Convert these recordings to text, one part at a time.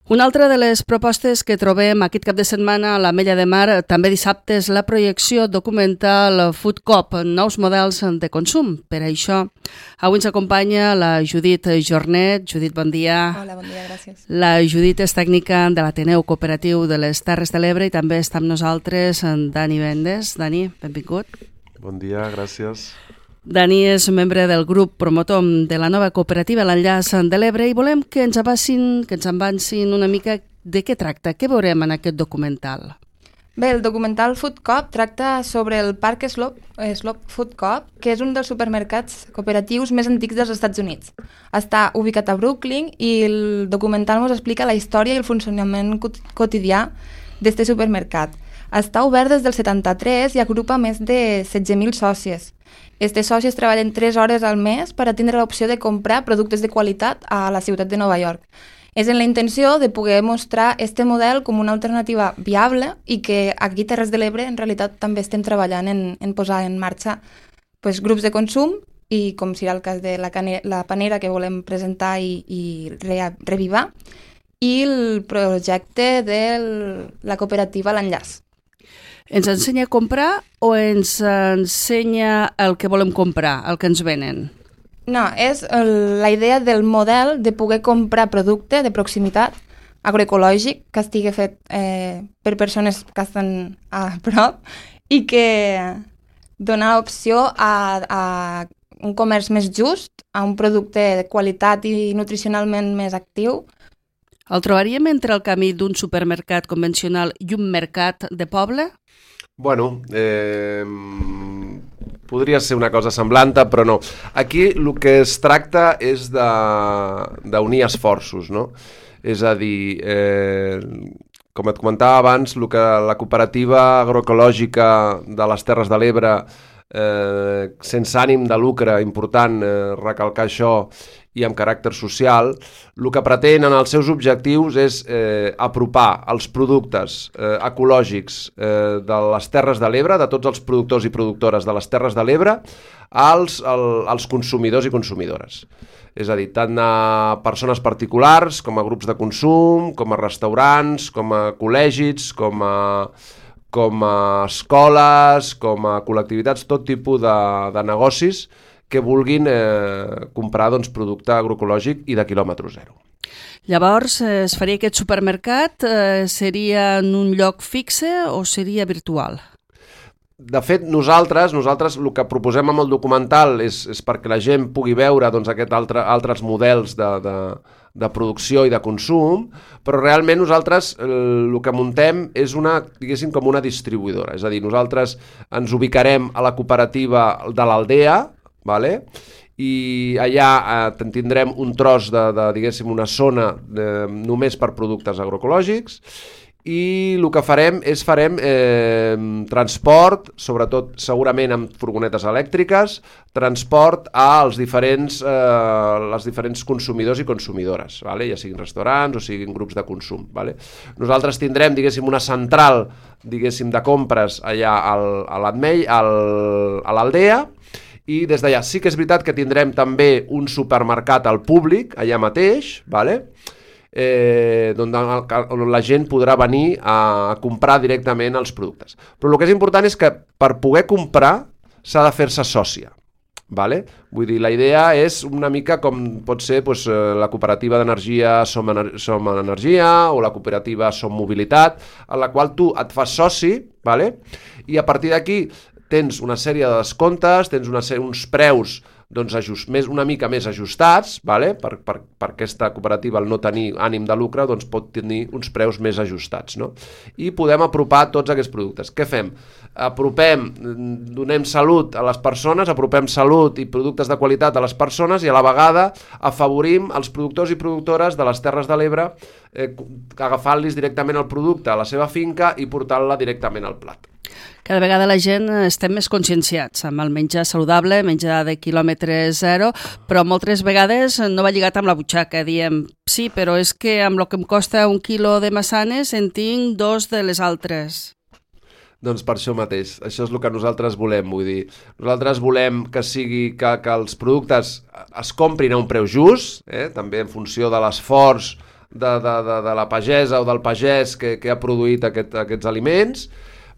Una altra de les propostes que trobem aquest cap de setmana a l'Ametlla de Mar, també dissabte, és la projecció documental Food Coop, nous models de consum. Per això, avui ens acompanya la Judit Jornet. Judit, bon dia. Hola, bon dia, gràcies. La Judit és tècnica de l'Ateneu Cooperatiu de les Terres de l'Ebre i també està amb nosaltres en Dani Vendes. Dani, benvingut. Bon dia, gràcies. Dani és membre del grup promotor de la nova cooperativa L'Enllaç de l'Ebre i volem que ens avancin una mica de què tracta, què veurem en aquest documental. Bé, el documental Food Coop tracta sobre el parc Slop Food Coop, que és un dels supermercats cooperatius més antics dels Estats Units. Està ubicat a Brooklyn i el documental ens explica la història i el funcionament quotidià d'aquest supermercat. Està obert des del 73 i agrupa més de 16.000 sòcies. Estes sòcies treballen 3 hores al mes per a tindre l'opció de comprar productes de qualitat a la ciutat de Nova York. És en la intenció de poder mostrar aquest model com una alternativa viable i que aquí a Terres de l'Ebre en realitat també estem treballant en posar en marxa grups de consum i com serà el cas de la panera que volem presentar i revivar i el projecte de la cooperativa L'Enllaç. Ens ensenya a comprar o ens ensenya el que volem comprar, el que ens venen? No, és la idea del model de poder comprar producte de proximitat agroecològic que estigui fet per persones que estan a prop i que dona opció a un comerç més just, a un producte de qualitat i nutricionalment més actiu. El trobaríem entre el camí d'un supermercat convencional i un mercat de poble? Bueno, podria ser una cosa semblant, però no. Aquí el que es tracta és d'unir esforços, no? És a dir, com et comentava abans, el que la cooperativa agroecològica de les Terres de l'Ebre, sense ànim de lucre, important recalcar això, i amb caràcter social, el que pretén en els seus objectius és apropar els productes ecològics de les Terres de l'Ebre, de tots els productors i productores de les Terres de l'Ebre, als consumidors i consumidores. És a dir, tant a persones particulars, com a grups de consum, com a restaurants, com a col·legis, com a escoles, com a col·lectivitats, tot tipus de negocis que vulguin comprar producte agroecològic i de quilòmetre zero. Llavors, es faria aquest supermercat? Seria en un lloc fixe o seria virtual? De fet, nosaltres el que proposem amb el documental és perquè la gent pugui veure aquests altres models de producció i de consum, però realment nosaltres el que muntem és com una distribuïdora. És a dir, nosaltres ens ubicarem a la cooperativa de l'Aldea, vale? I allà tindrem un tros diguéssim, una zona només per productes agroecològics i el que farem transport, sobretot segurament amb furgonetes elèctriques, transport als diferents consumidors i consumidores, vale? Ja siguin restaurants o siguin grups de consum. Vale? Nosaltres tindrem una central de compres allà a l'Aldea, i des d'allà sí que és veritat que tindrem també un supermercat al públic, allà mateix, vale? On la gent podrà venir a comprar directament els productes. Però el que és important és que per poder comprar s'ha de fer-se sòcia. Vale? Vull dir, la idea és una mica com pot ser la cooperativa d'energia Som Energia o la cooperativa Som Mobilitat, en la qual tu et fas soci, vale? I a partir d'aquí tens una sèrie de descomptes, tens uns preus una mica més ajustats, vale? Per aquesta cooperativa, al no tenir ànim de lucre, pot tenir uns preus més ajustats, no? I podem apropar tots aquests productes. Què fem? Donem salut a les persones, apropem salut i productes de qualitat a les persones i a la vegada afavorim els productors i productores de les Terres de l'Ebre agafant-los directament el producte a la seva finca i portant-la directament al plat. Cada vegada la gent estem més conscienciats amb el menjar saludable, menjar de quilòmetre zero, però moltes vegades no va lligat amb la butxaca. Diem, sí, però és que amb el que em costa 1 quilo de massanes en tinc 2 de les altres. Doncs per això mateix, això és el que nosaltres volem, vull dir. Nosaltres volem que els productes es comprin a un preu just, també en funció de l'esforç de la pagesa o del pagès que ha produït aquests aliments,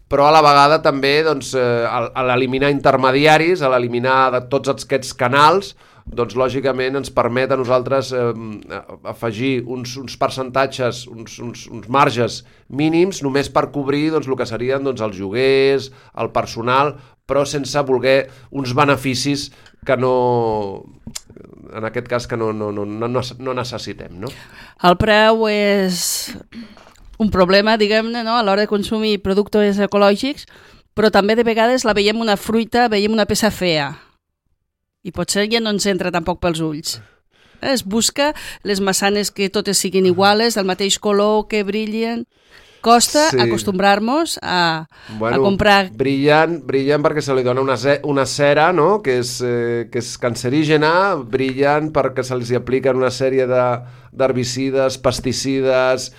però a la vegada també doncs, a l'eliminar intermediaris, a l'eliminar de tots aquests canals, doncs lògicament ens permet a nosaltres afegir uns percentatges, uns marges mínims només per cobrir doncs, el que serien doncs, els lloguers, el personal, però sense voler uns beneficis que no, en aquest cas, que no necessitem. No? El preu és un problema, diguem-ne, no? A l'hora de consumir productes ecològics, però també de vegades la veiem una fruita, veiem una peça fea. I potser ja no ens entra tampoc pels ulls. Es busca les maçanes que totes siguin iguales, del mateix color, que brillen. Costa acostumbrar-nos a comprar... Brillen perquè se li dona una cera, no? que és cancerígena, brillen perquè se'ls apliquen una sèrie d'herbicides, pesticides,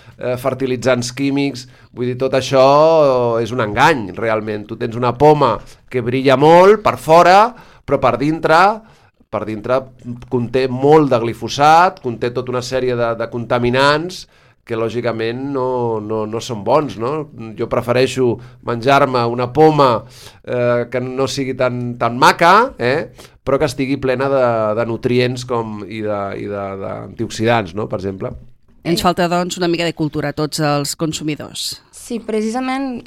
fertilitzants químics. Vull dir, tot això és un engany, realment. Tu tens una poma que brilla molt per fora, però per dintre conté molt de glifosat, conté tota una sèrie de contaminants que lògicament no són bons. No? Jo prefereixo menjar-me una poma que no sigui tan maca, però que estigui plena de nutrients i d'antioxidants, no? Per exemple. Ens falta, doncs, una mica de cultura a tots els consumidors. Sí, precisament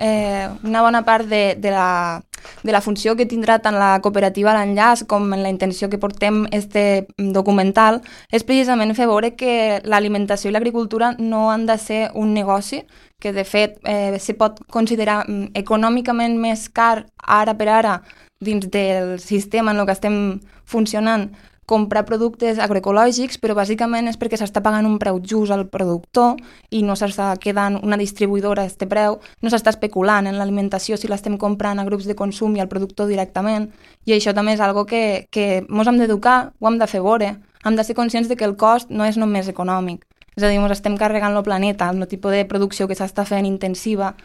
una bona part de la funció que tindrà tant la cooperativa l'enllaç com en la intenció que portem este documental és precisament fer veure que l'alimentació i l'agricultura no han de ser un negoci, que de fet se pot considerar econòmicament més car ara per ara dins del sistema en el que estem funcionant comprar productes agroecològics, però bàsicament és perquè s'està pagant un preu just al productor i no s'està quedant una distribuïdora a este preu, no s'està especulant en l'alimentació si l'estem comprant a grups de consum i al productor directament, i això també és algo que ens hem d'educar, ho hem de fer veure, hem de ser conscients de que el cost no és només econòmic, és a dir, ens estem carregant el planeta, el tipus de producció que s'està fent intensiva,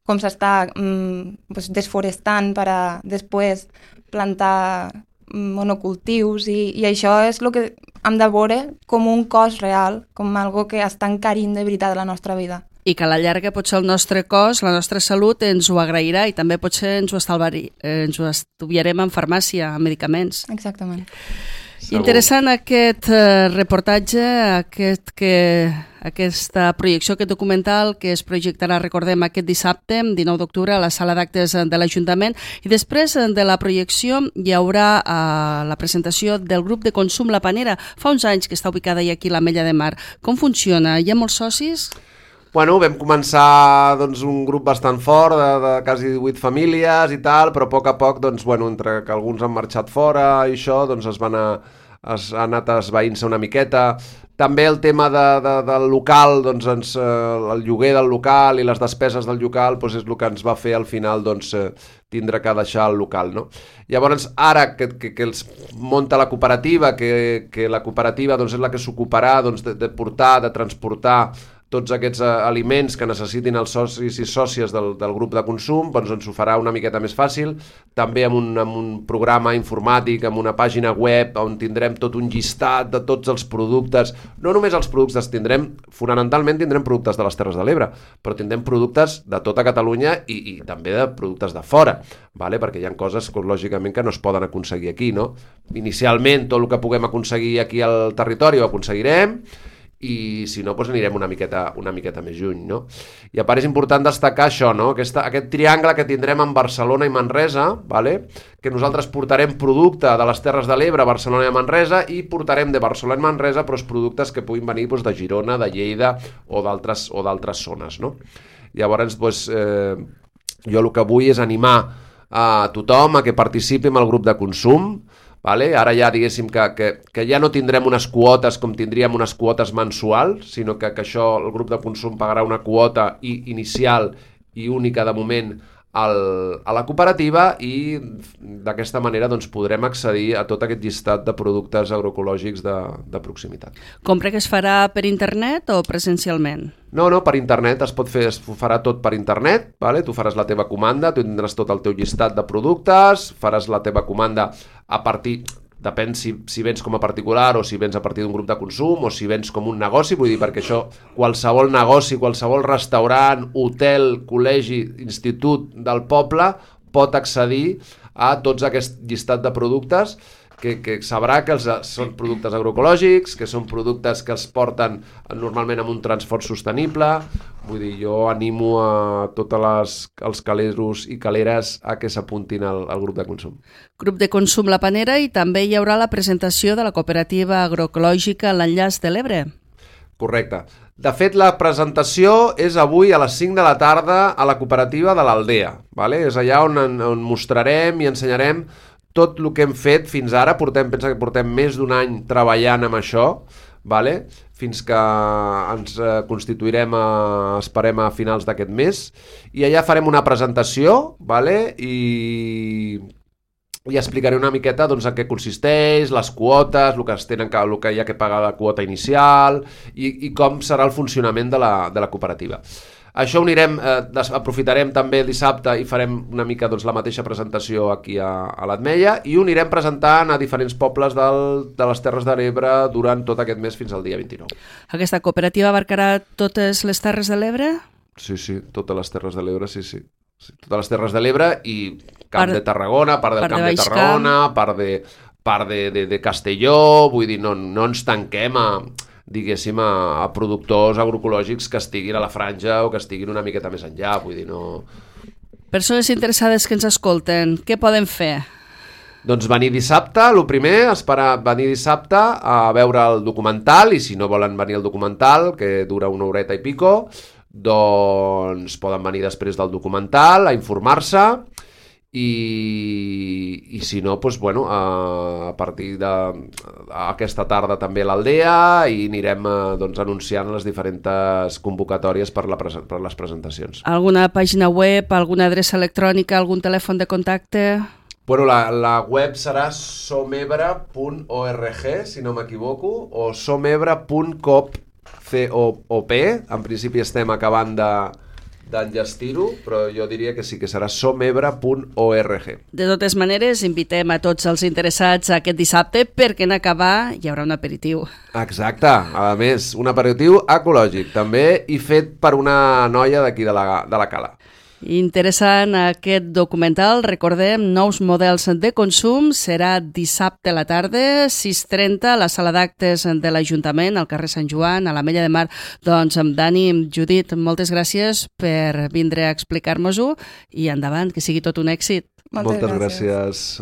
com s'està desforestant per a després plantar monocultius i això és el que hem de veure com un cost real, com algo que està encarint de veritat la nostra vida. I que a la llarga potser el nostre cos, la nostra salut ens ho agrairà i també potser ens ho estudiarem en farmàcia, en medicaments. Exactament. Segur. Interessant aquest reportatge, aquesta projecció, aquest documental que es projectarà, recordem, aquest dissabte, 19 d'octubre, a la sala d'actes de l'Ajuntament. I després de la projecció hi haurà la presentació del grup de consum La Panera. Fa uns anys que està ubicada aquí a l'Ametlla de Mar. Com funciona? Hi ha molts socis? Bueno, vam començar doncs, un grup bastant fort, de quasi 18 famílies i tal, però a poc, doncs, bueno, entre que alguns han marxat fora i això, doncs ha anat esvaint-se una miqueta. També el tema del local, doncs, el lloguer del local i les despeses del local doncs, és el que ens va fer al final doncs, tindre que deixar el local. No? Llavors, ara que els munta la cooperativa, que la cooperativa doncs, és la que s'ocuparà doncs, de portar, de transportar tots aquests aliments que necessitin els socis i sòcies del grup de consum, doncs ens ho farà una miqueta més fàcil, també amb un programa informàtic, amb una pàgina web on tindrem tot un llistat de tots els productes, no només els productes, fonamentalment tindrem productes de les Terres de l'Ebre, però tindrem productes de tota Catalunya i també de productes de fora, vale? Perquè hi ha coses lògicament que no es poden aconseguir aquí, no? Inicialment tot el que puguem aconseguir aquí al territori ho aconseguirem, i si no, doncs anirem una miqueta més lluny, no? I a part és important destacar això, no? Aquest triangle que tindrem en Barcelona i Manresa, vale? Que nosaltres portarem producte de les Terres de l'Ebre a Barcelona i a Manresa i portarem de Barcelona i Manresa però els productes que puguin venir doncs, de Girona, de Lleida o d'altres zones, no? Llavors, doncs, jo el que vull és animar a tothom a que participi en el grup de consum. Vale? Ara ja diguéssim que ja no tindrem unes quotes com tindríem unes quotes mensuals, sinó que això el grup de consum pagarà una quota inicial i única de moment a la cooperativa i d'aquesta manera doncs, podrem accedir a tot aquest llistat de productes agroecològics de proximitat. Compra que es farà per internet o presencialment? No, per internet, es farà tot per internet, vale? Tu faràs la teva comanda, tu tindràs tot el teu llistat de productes, faràs la teva comanda a partir... depèn si vens com a particular o si vens a partir d'un grup de consum o si vens com un negoci, vull dir, perquè això qualsevol negoci, qualsevol restaurant, hotel, col·legi, institut del poble pot accedir a tots aquest llistat de productes que sabrà que són productes agroecològics, que són productes que els porten normalment amb un transport sostenible. Vull dir, jo animo a tots els caleros i caleres a que s'apuntin al grup de consum. Grup de consum La Panera, i també hi haurà la presentació de la cooperativa agroecològica L'Enllaç de l'Ebre. Correcte. De fet, la presentació és avui a les 5 de la tarda a la cooperativa de l'Aldea. Vale? És allà on mostrarem i ensenyarem tot el que hem fet fins ara. Pensa que portem més d'un any treballant amb això, vale? Fins que ens constituirem, esperem a finals d'aquest mes, i allà farem una presentació, vale? I explicaré una miqueta doncs, en què consisteix, les quotes, el que hi ha que pagar la quota inicial i com serà el funcionament de la cooperativa. Això aprofitarem també dissabte i farem una mica doncs, la mateixa presentació aquí a l'Ametlla, i ho anirem presentant a diferents pobles de les Terres de l'Ebre durant tot aquest mes fins al dia 29. Aquesta cooperativa abarcarà totes les Terres de l'Ebre? Sí, totes les Terres de l'Ebre, sí. Totes les Terres de l'Ebre i Camp de Tarragona, part del Camp de Tarragona, part de Castelló, vull dir, no ens tanquem diguéssim, a productors agroecològics que estiguin a la franja o que estiguin una miqueta més enllà, vull dir, no... Persones interessades que ens escolten, què poden fer? Doncs venir dissabte, el primer, esperar venir dissabte a veure el documental, i si no volen venir al documental, que dura una horeta i pico, doncs poden venir després del documental a informar-se, i si no, doncs, bueno, a partir d'aquesta tarda també a l'Aldea, i anirem doncs, anunciant les diferents convocatòries per les presentacions. Alguna pàgina web, alguna adreça electrònica, algun telèfon de contacte? Bueno, la web serà somebre.org, si no m'equivoco, o somebre.coop. En principi estem acabant d'enllestir-ho, però jo diria que sí, que serà somebre.org. De totes maneres, invitem a tots els interessats aquest dissabte, perquè en acabar hi haurà un aperitiu. Exacte, a més, un aperitiu ecològic també, i fet per una noia d'aquí de la Cala. Interessant aquest documental. Recordem, nous models de consum. Serà dissabte a la tarda, 6:30, a la sala d'actes de l'Ajuntament, al carrer Sant Joan, a l'Ametlla de Mar. Doncs amb Dani, Judit, moltes gràcies per vindre a explicar-nos-ho, i endavant, que sigui tot un èxit. Moltes gràcies.